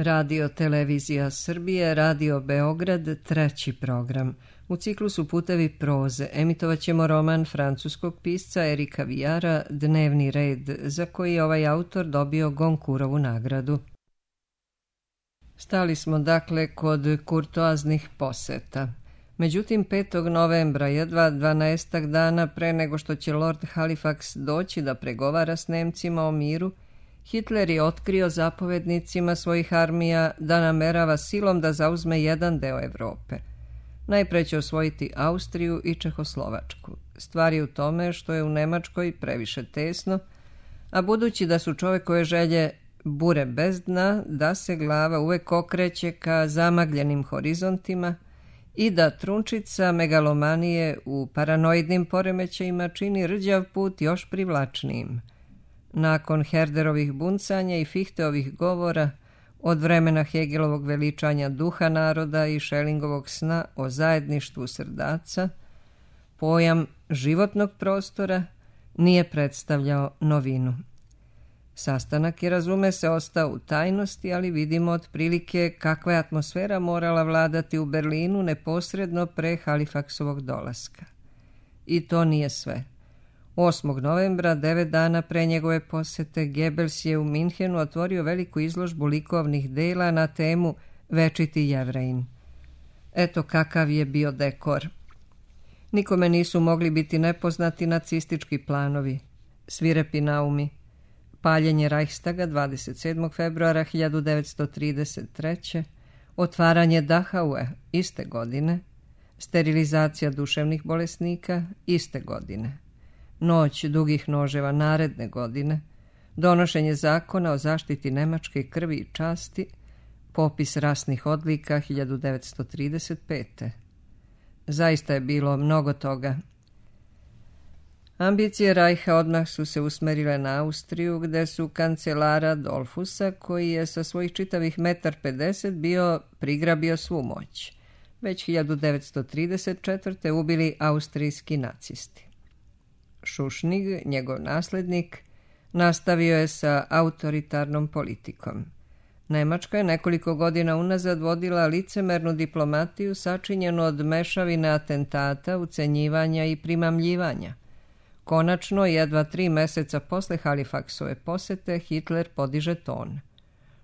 Radio Televizija Srbije, Radio Beograd, treći program. U ciklusu Putevi proze emitovat ćemo roman francuskog pisca Erika Vijara Dnevni red, za koji je ovaj autor dobio Gonkurovu nagradu. Stali smo dakle kod kurtoaznih poseta. Međutim, 5. novembra, jedva 12 dana pre nego što će Lord Halifax doći da pregovara s Nemcima o miru, Hitler je otkrio zapovednicima svojih armija da namerava silom da zauzme jedan deo Evrope. Najpre će osvojiti Austriju i Čehoslovačku. Stvar je u tome što je u Nemačkoj previše tesno, a budući da su čovekove želje bure bez dna, da se glava uvek okreće ka zamagljenim horizontima i da trunčica megalomanije u paranoidnim poremećajima čini rđav put još privlačnijim. Nakon Herderovih buncanja i Fichteovih govora, od vremena Hegelovog veličanja duha naroda i Schellingovog sna o zajedništvu srdaca, pojam životnog prostora nije predstavljao novinu. Sastanak je, razume se, ostao u tajnosti, ali vidimo otprilike kakva je atmosfera morala vladati u Berlinu neposredno pre Halifaksovog dolaska. I to nije sve. 8. novembra, 9 dana pre njegove posete, Goebbels je u Minhenu otvorio veliku izložbu likovnih dela na temu Večiti Jevrejin. Eto kakav je bio dekor. Nikome nisu mogli biti nepoznati nacistički planovi, svirepi naumi, paljenje Reichstaga 27. februara 1933. Otvaranje Dachaue iste godine, sterilizacija duševnih bolesnika iste godine, noć dugih noževa naredne godine, donošenje zakona o zaštiti nemačke krvi i časti, popis rasnih odlika 1935. Zaista je bilo mnogo toga. Ambicije Rajha odmah su se usmerile na Austriju, gde su kancelara Dollfusa, koji je sa svojih čitavih 1,50 m prigrabio svu moć. Već 1934. ubili austrijski nacisti. Šušnig, njegov naslednik, nastavio je sa autoritarnom politikom. Nemačka je nekoliko godina unazad vodila licemernu diplomatiju sačinjenu od mešavine atentata, ucenjivanja i primamljivanja. Konačno, jedva 3 meseca posle Halifaksove posete, Hitler podiže ton.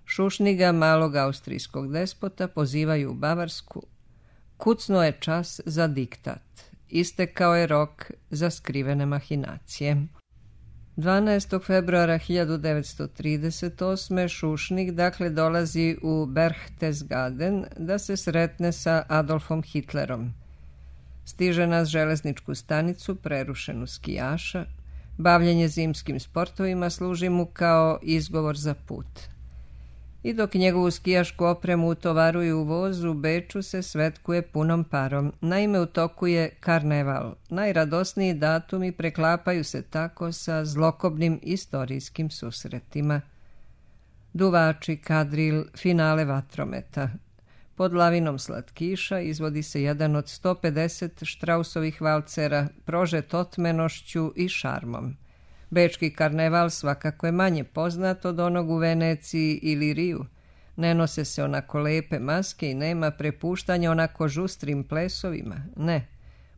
Šušniga, malog austrijskog despota, pozivaju u Bavarsku. Kucnuo je čas za diktat. Istekao je rok za skrivene mahinacije. 12. februara 1938. Šušnig dakle dolazi u Berchtesgaden da se sretne sa Adolfom Hitlerom. Stiže na železničku stanicu prerušenu skijaša. Bavljenje zimskim sportovima služi mu kao izgovor za put. I dok njegovu skijašku opremu utovaruju u voz, u Beču se svetkuje punom parom. Naime, u toku je karneval. Najradosniji datumi preklapaju se tako sa zlokobnim istorijskim susretima. Duvači, kadril, finale vatrometa. Pod lavinom slatkiša izvodi se jedan od 150 Štrausovih valcera, prožet otmenošću i šarmom. Bečki karneval svakako je manje poznat od onog u Veneciji ili Riju. Ne nose se onako lepe maske i nema prepuštanja onako žustrim plesovima. Ne.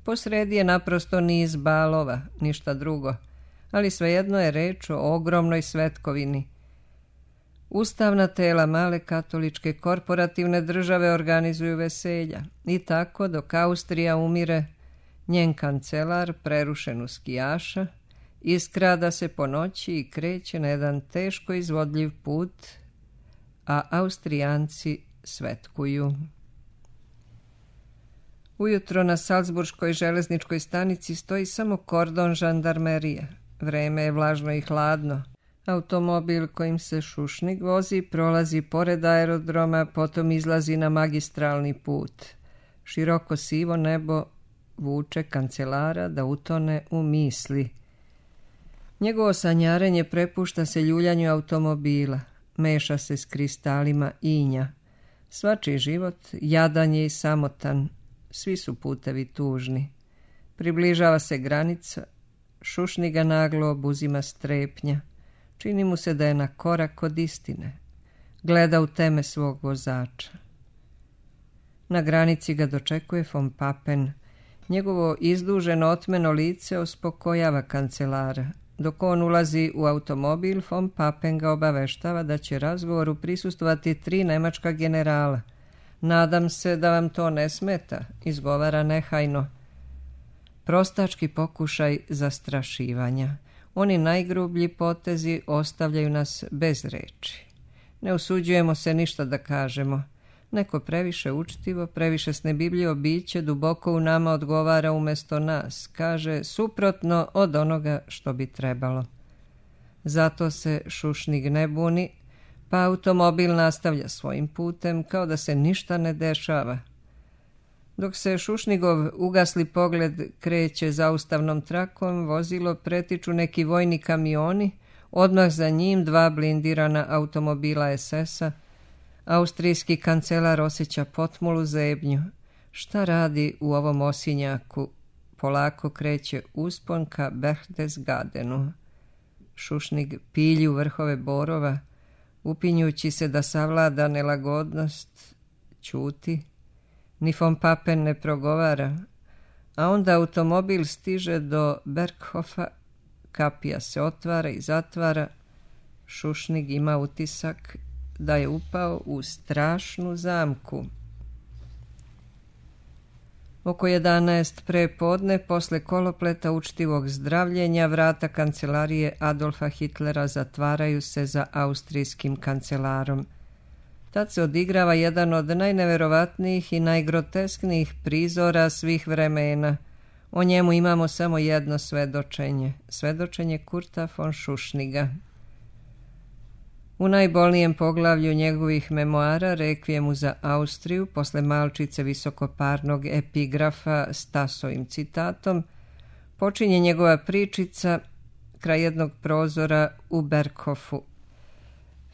Posredi je naprosto niz balova, ništa drugo. Ali svejedno je reč o ogromnoj svetkovini. Ustavna tela male katoličke korporativne države organizuju veselja. I tako, dok Austrija umire, njen kancelar, prerušen u skijaša, iskrada se po noći i kreće na jedan teško izvodljiv put, a Austrijanci svetkuju. Ujutro na Salzburškoj železničkoj stanici stoji samo kordon žandarmerije. Vreme je vlažno i hladno. Automobil kojim se Šušnig vozi prolazi pored aerodroma, potom izlazi na magistralni put. Široko sivo nebo vuče kancelara da utone u misli. Njegovo sanjarenje prepušta se ljuljanju automobila, meša se s kristalima inja. Svačiji život jadan je i samotan, svi su putevi tužni. Približava se granica, Šušniga naglo obuzima strepnja. Čini mu se da je na korak od istine. Gleda u teme svog vozača. Na granici ga dočekuje von Papen. Njegovo izduženo otmeno lice uspokojava kancelara. Dok on ulazi u automobil, von Papen ga obaveštava da će razgovoru prisustvovati 3 nemačka generala. Nadam se da vam to ne smeta, izgovara nehajno. Prostački pokušaj zastrašivanja. Oni najgrublji potezi ostavljaju nas bez reči. Ne usuđujemo se ništa da kažemo. Neko previše učtivo, previše snebibljivo biće duboko u nama odgovara umjesto nas, kaže suprotno od onoga što bi trebalo. Zato se Šušnig ne buni, pa automobil nastavlja svojim putem kao da se ništa ne dešava. Dok se Šušnigov ugasli pogled kreće zaustavnom trakom, vozilo pretiču neki vojni kamioni, odmah za njim 2 blindirana automobila SS-a. Austrijski kancelar osjeća potmulu zebnju. Šta radi u ovom osinjaku? Polako kreće uspon ka Berchtesgadenu. Šušnig pilji u vrhove borova, upinjući se da savlada nelagodnost, ćuti. Ni von Papen ne progovara, a onda automobil stiže do Berghofa, kapija se otvara i zatvara. Šušnig ima utisak da je upao u strašnu zamku. Oko 11 prepodne, posle kolopleta učtivog zdravljenja, vrata kancelarije Adolfa Hitlera zatvaraju se za austrijskim kancelarom. Tad se odigrava jedan od najneverovatnijih i najgrotesknijih prizora svih vremena. O njemu imamo samo jedno svedočenje. Svedočenje Kurta von Šušniga. U najbolnijem poglavlju njegovih memoara, Rekvijemu za Austriju, posle malčice visokoparnog epigrafa s Tasovim citatom, počinje njegova pričica kraj jednog prozora u Berghofu.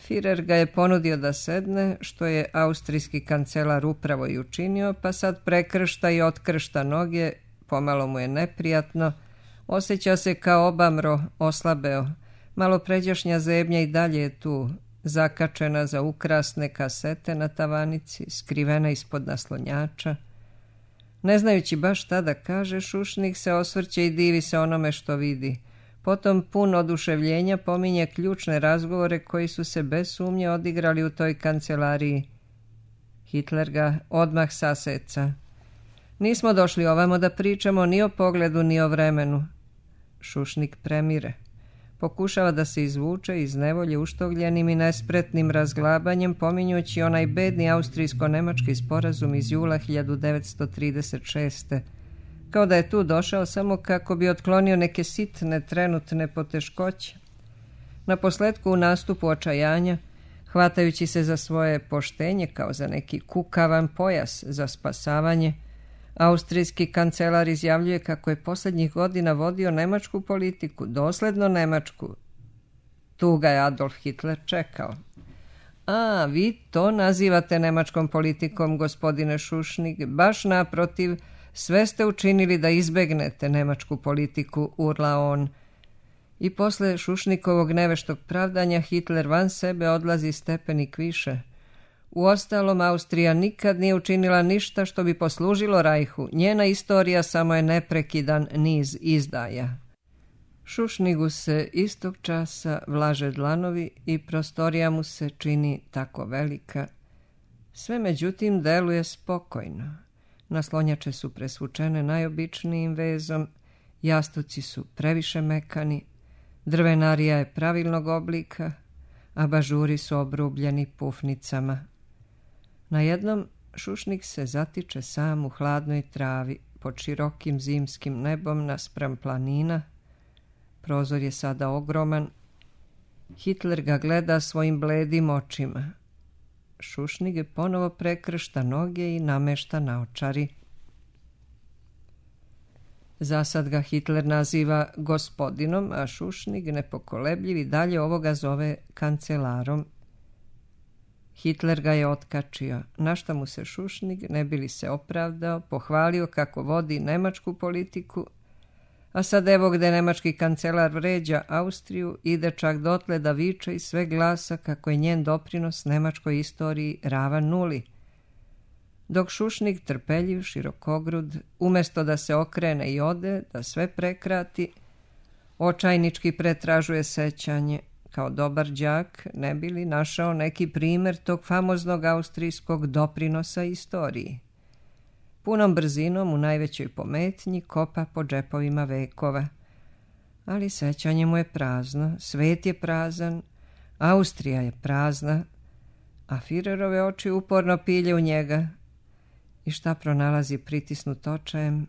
Führer ga je ponudio da sedne, što je austrijski kancelar upravo i učinio, pa sad prekršta i otkršta noge, pomalo mu je neprijatno, osjeća se kao obamro, oslabeo. Malo pređašnja zebnja i dalje je tu, zakačena za ukrasne kasete na tavanici, skrivena ispod naslonjača. Ne znajući baš šta da kaže, Šušnig se osvrće i divi se onome što vidi. Potom pun oduševljenja pominje ključne razgovore koji su se bez sumnje odigrali u toj kancelariji. Hitler ga odmah saseca. Nismo došli ovamo da pričamo ni o pogledu ni o vremenu. Šušnig premire. Pokušava da se izvuče iz nevolje uštogljenim i nespretnim razglabanjem, pominjući onaj bedni austrijsko-nemački sporazum iz jula 1936. Kao da je tu došao samo kako bi otklonio neke sitne trenutne poteškoće. Na posletku u nastupu očajanja, hvatajući se za svoje poštenje kao za neki kukavan pojas za spasavanje, austrijski kancelar izjavljuje kako je posljednjih godina vodio nemačku politiku, dosledno nemačku. Tu ga je Adolf Hitler čekao. A, vi to nazivate nemačkom politikom, gospodine Šušnig, baš naprotiv, sve ste učinili da izbegnete nemačku politiku, urla on. I posle Šušnikovog neveštog pravdanja Hitler van sebe odlazi stepenik više. Uostalom, Austrija nikad nije učinila ništa što bi poslužilo Rajhu. Njena istorija samo je neprekidan niz izdaja. Šušnigu se istog časa vlaže dlanovi i prostorija mu se čini tako velika. Sve međutim deluje spokojno. Naslonjače su presvučene najobičnijim vezom, jastuci su previše mekani, drvenarija je pravilnog oblika, a bažuri su obrubljeni pufnicama. Na jednom Šušnig se zatiče sam u hladnoj travi pod širokim zimskim nebom naspram planina. Prozor je sada ogroman. Hitler ga gleda svojim bledim očima. Šušnig ponovo prekršta noge i namešta naočari. Zasad ga Hitler naziva gospodinom, a Šušnig, nepokolebljiv, i dalje ovoga zove kancelarom. Hitler ga je otkačio, na šta mu se Šušnig, ne bi li se opravdao, pohvalio kako vodi nemačku politiku, A sad evo gde nemački kancelar vređa Austriju, ide čak dotle da viče iz sve glasa kako je njen doprinos nemačkoj istoriji ravan nuli. Dok Šušnig, trpeljiv, širokogrud, umjesto da se okrene i ode, da sve prekrati, očajnički pretražuje sećanje, kao dobar đak, ne bi li našao neki primjer tog famoznog austrijskog doprinosa istoriji. Punom brzinom, u najvećoj pometnji, kopa po džepovima vekova. Ali sećanje mu je prazno, svet je prazan, Austrija je prazna, a Firerove oči uporno pilje u njega. I šta pronalazi pritisnut očajem?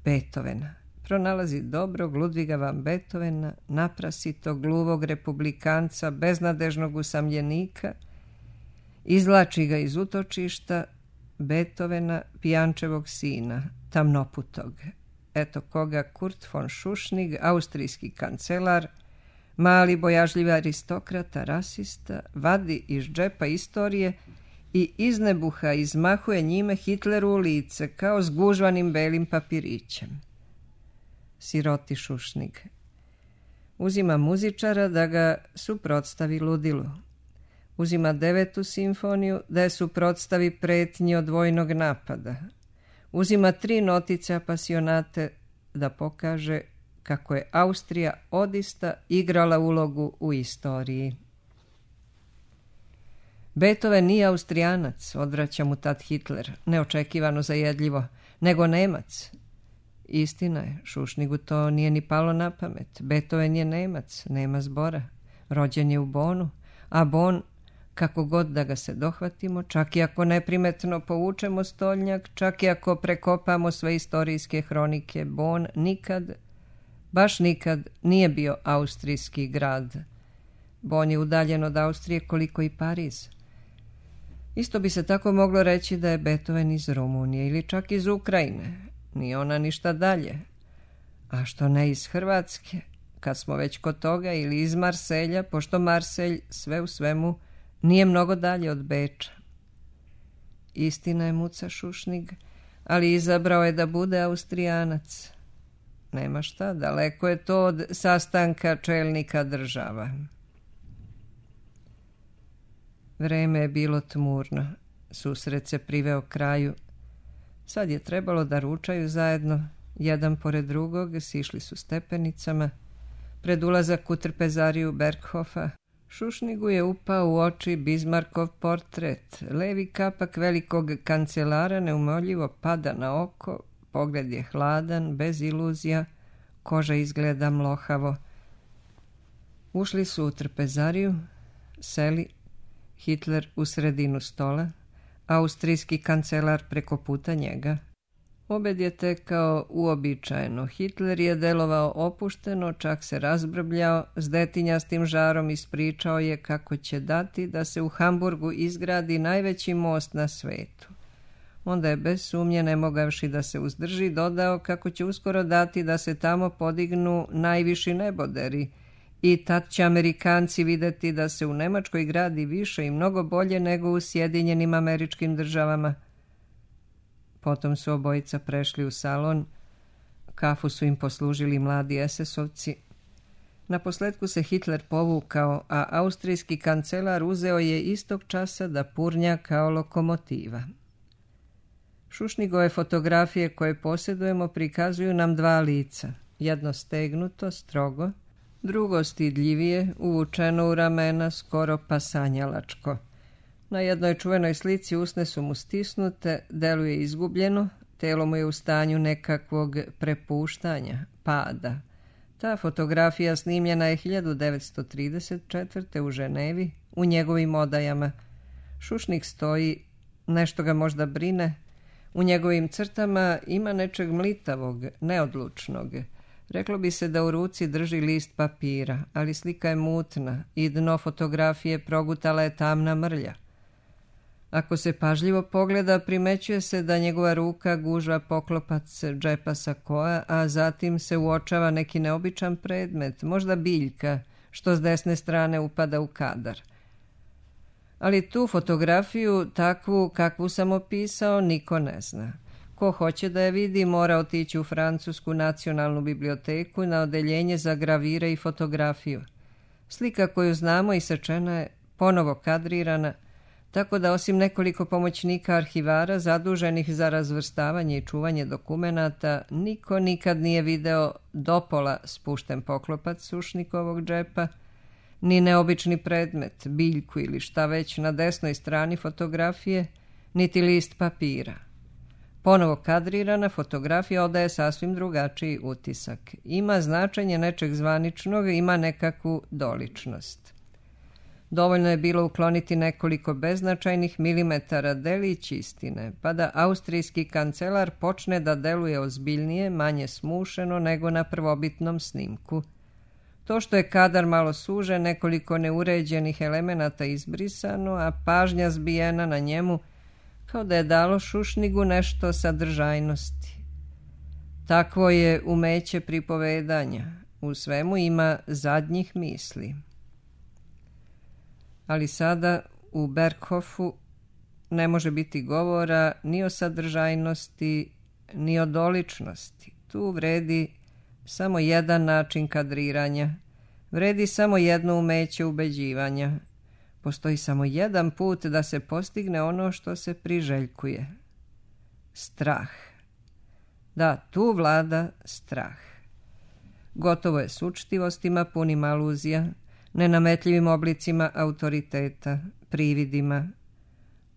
Beethovena. Pronalazi dobrog Ludviga van Beethovena, naprasitog, gluvog republikanca, beznadežnog usamljenika, izvlači ga iz utočišta, Beethovena, pijančevog sina, tamnoputog. Eto koga Kurt von Šušnig, austrijski kancelar, mali bojažljivi aristokrata, rasista, vadi iz džepa istorije i iznebuha izmahuje njime Hitleru u lice kao s gužvanim belim papirićem. Siroti Šušnig. Uzima muzičara da ga suprotstavi ludilu. Uzima 9. simfoniju da je suprotstavi pretnji od vojnog napada. Uzima 3 notice apasionate da pokaže kako je Austrija odista igrala ulogu u istoriji. Beethoven nije Austrijanac, odvraća mu tad Hitler, neočekivano zajedljivo, nego Nemac. Istina je, Šušnigu to nije ni palo na pamet. Beethoven je Nemac, nema zbora. Rođen je u Bonu, a Bon, kako god da ga se dohvatimo, čak i ako neprimetno povučemo stolnjak, čak i ako prekopamo sve istorijske hronike, Bon nikad, baš nikad, nije bio austrijski grad. Bon je udaljen od Austrije koliko i Pariz. Isto bi se tako moglo reći da je Beethoven iz Rumunije ili čak iz Ukrajine. Nije ona ništa dalje. A što ne iz Hrvatske, kad smo već kod toga, ili iz Marselja, pošto Marselj sve u svemu nije mnogo dalje od Beča. Istina je, muca Šušnig, ali izabrao je da bude Austrijanac. Nema šta, daleko je to od sastanka čelnika država. Vreme je bilo tmurno, susret se priveo kraju. Sad je trebalo da ručaju zajedno, jedan pored drugog, sišli su stepenicama. Pred ulazak u trpezariju Berghofa, Šušnigu je upao u oči Bismarckov portret. Levi kapak velikog kancelara neumoljivo pada na oko, pogled je hladan, bez iluzija, koža izgleda mlohavo. Ušli su u trpezariju, seli, Hitler u sredinu stola, austrijski kancelar preko puta njega. Obed je tekao uobičajeno. Hitler je delovao opušteno, čak se razbrbljao, s detinjastim žarom ispričao je kako će dati da se u Hamburgu izgradi najveći most na svetu. Onda je bez sumnje, ne mogavši da se uzdrži, dodao kako će uskoro dati da se tamo podignu najviši neboderi i tad će Amerikanci vidjeti da se u Nemačkoj gradi više i mnogo bolje nego u Sjedinjenim Američkim Državama. Potom su obojica prešli u salon, kafu su im poslužili mladi SS-ovci. Naposletku se Hitler povukao, a austrijski kancelar uzeo je istog časa da purnja kao lokomotiva. Šušnigove fotografije koje posjedujemo prikazuju nam 2 lica, jedno stegnuto, strogo, drugo stidljivije, uvučeno u ramena, skoro pa sanjalačko. Na jednoj čuvenoj slici usne su mu stisnute, deluje izgubljeno, telo mu je u stanju nekakvog prepuštanja, pada. Ta fotografija snimljena je 1934. u Ženevi, u njegovim odajama. Šušnig stoji, nešto ga možda brine, u njegovim crtama ima nečeg mlitavog, neodlučnog. Reklo bi se da u ruci drži list papira, ali slika je mutna i dno fotografije progutala je tamna mrlja. Ako se pažljivo pogleda, primećuje se da njegova ruka gužva poklopac džepa sakoa, a zatim se uočava neki neobičan predmet, možda biljka, što s desne strane upada u kadar. Ali tu fotografiju, takvu kakvu sam opisao, niko ne zna. Ko hoće da je vidi, mora otići u Francusku nacionalnu biblioteku na odeljenje za gravire i fotografiju. Slika koju znamo isečena je, ponovo kadrirana, tako da osim nekoliko pomoćnika arhivara zaduženih za razvrstavanje i čuvanje dokumenata, niko nikad nije video dopola spušten poklopac Sušnikovog džepa, ni neobični predmet, biljku ili šta već na desnoj strani fotografije, niti list papira. Ponovo kadrirana fotografija odaje sasvim drugačiji utisak. Ima značenje nečeg zvaničnog, ima nekakvu doličnost. Dovoljno je bilo ukloniti nekoliko beznačajnih milimetara delić istine, pa da austrijski kancelar počne da deluje ozbiljnije, manje smušeno nego na prvobitnom snimku. To što je kadar malo sužen, nekoliko neuređenih elemenata izbrisano, a pažnja zbijena na njemu, kao da je dalo Šušnigu nešto sadržajnosti. Takvo je umeće pripovedanja. U svemu ima zadnjih misli. Ali sada u Berghofu ne može biti govora ni o sadržajnosti, ni o doličnosti. Tu vredi samo jedan način kadriranja, vredi samo jedno umeće ubeđivanja. Postoji samo jedan put da se postigne ono što se priželjkuje. Strah. Da, tu vlada strah. Gotovo je s učtivostima punim aluzija, nenametljivim oblicima autoriteta, prividima.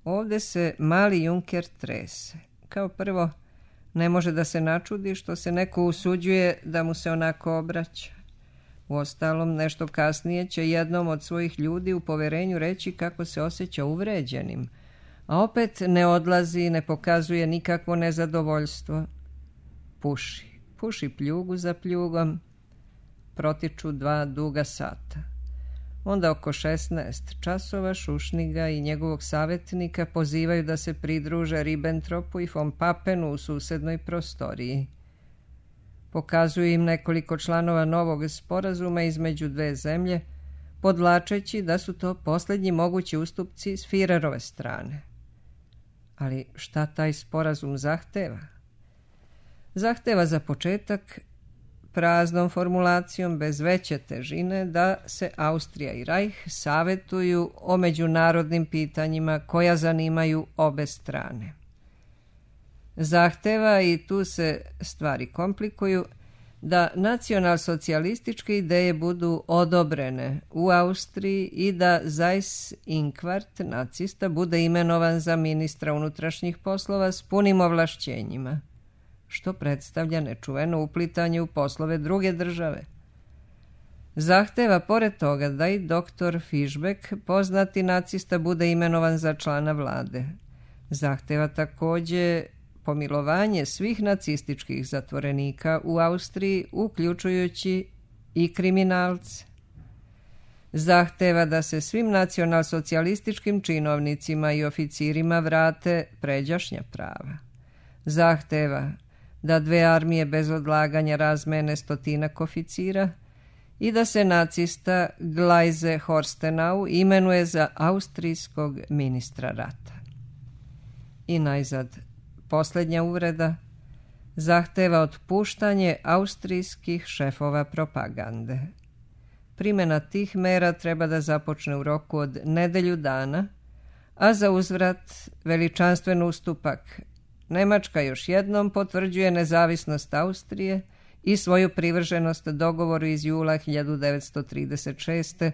Ovdje se mali Junker trese. Kao prvo, ne može da se načudi što se neko usuđuje da mu se onako obraća. Uostalom, nešto kasnije će jednom od svojih ljudi u poverenju reći kako se osjeća uvređenim, a opet ne odlazi, ne pokazuje nikakvo nezadovoljstvo. Puši pljugu za pljugom. Protiču 2 duga sata. Onda oko 16 časova Šušniga i njegovog savjetnika pozivaju da se pridruže Ribbentropu i von Pappenu u susednoj prostoriji. Pokazuju im nekoliko članova novog sporazuma između 2 zemlje, podvlačeći da su to posljednji mogući ustupci s Führerove strane. Ali šta taj sporazum zahteva? Zahteva za početak praznom formulacijom bez veće težine da se Austrija i Reich savjetuju o međunarodnim pitanjima koja zanimaju obe strane. Zahteva, i tu se stvari komplikuju, da nacionalsocijalističke ideje budu odobrene u Austriji i da Seyss-Inquart, nacista, bude imenovan za ministra unutrašnjih poslova s punim ovlašćenjima, što predstavlja nečuveno uplitanje u poslove druge države. Zahteva pored toga da i doktor Fischbeck, poznati nacista, bude imenovan za člana vlade. Zahteva također pomilovanje svih nacističkih zatvorenika u Austriji, uključujući i kriminalce. Zahteva da se svim nacionalsocijalističkim činovnicima i oficirima vrate pređašnja prava. Zahteva da 2 armije bez odlaganja razmene 100 oficira i da se nacista Gleise Horstenau imenuje za austrijskog ministra rata. I najzad, posljednja uvreda, zahteva otpuštanje austrijskih šefova propagande. Primjena tih mera treba da započne u roku od nedelju dana, a za uzvrat veličanstven ustupak. Njemačka još jednom potvrđuje nezavisnost Austrije i svoju privrženost dogovoru iz jula 1936.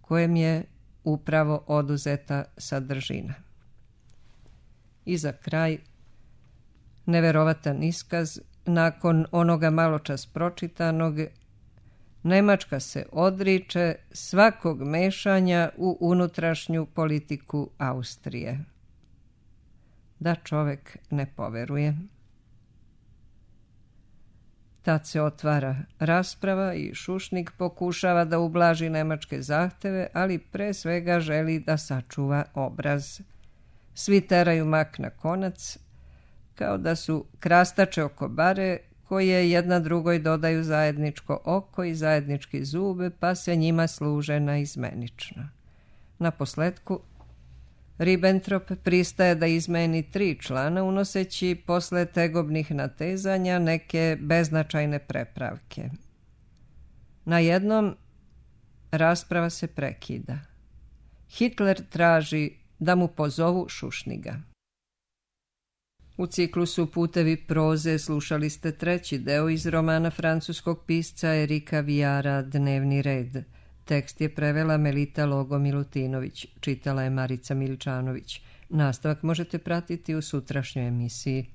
kojem je upravo oduzeta sadržina. I za kraj, neverovatan iskaz, nakon onoga maločas pročitanog, Nemačka se odriče svakog mešanja u unutrašnju politiku Austrije. Da čovek ne poveruje. Tad se otvara rasprava i Šušnig pokušava da ublaži nemačke zahteve, ali pre svega želi da sačuva obraz. Svi teraju mak na konac, kao da su krastače oko bare koje jedna drugoj dodaju zajedničko oko i zajednički zub, pa se njima služe naizmenično. Naposletku, Ribbentrop pristaje da izmeni 3 člana, unoseći posle tegobnih natezanja neke beznačajne prepravke. Na jednom rasprava se prekida. Hitler traži da mu pozovu Šušniga. U ciklusu Putevi proze slušali ste 3. deo iz romana francuskog pisca Erika Vijara Dnevni red. Tekst je prevela Melita Logo-Milutinović, čitala je Marica Miličanović. Nastavak možete pratiti u sutrašnjoj emisiji.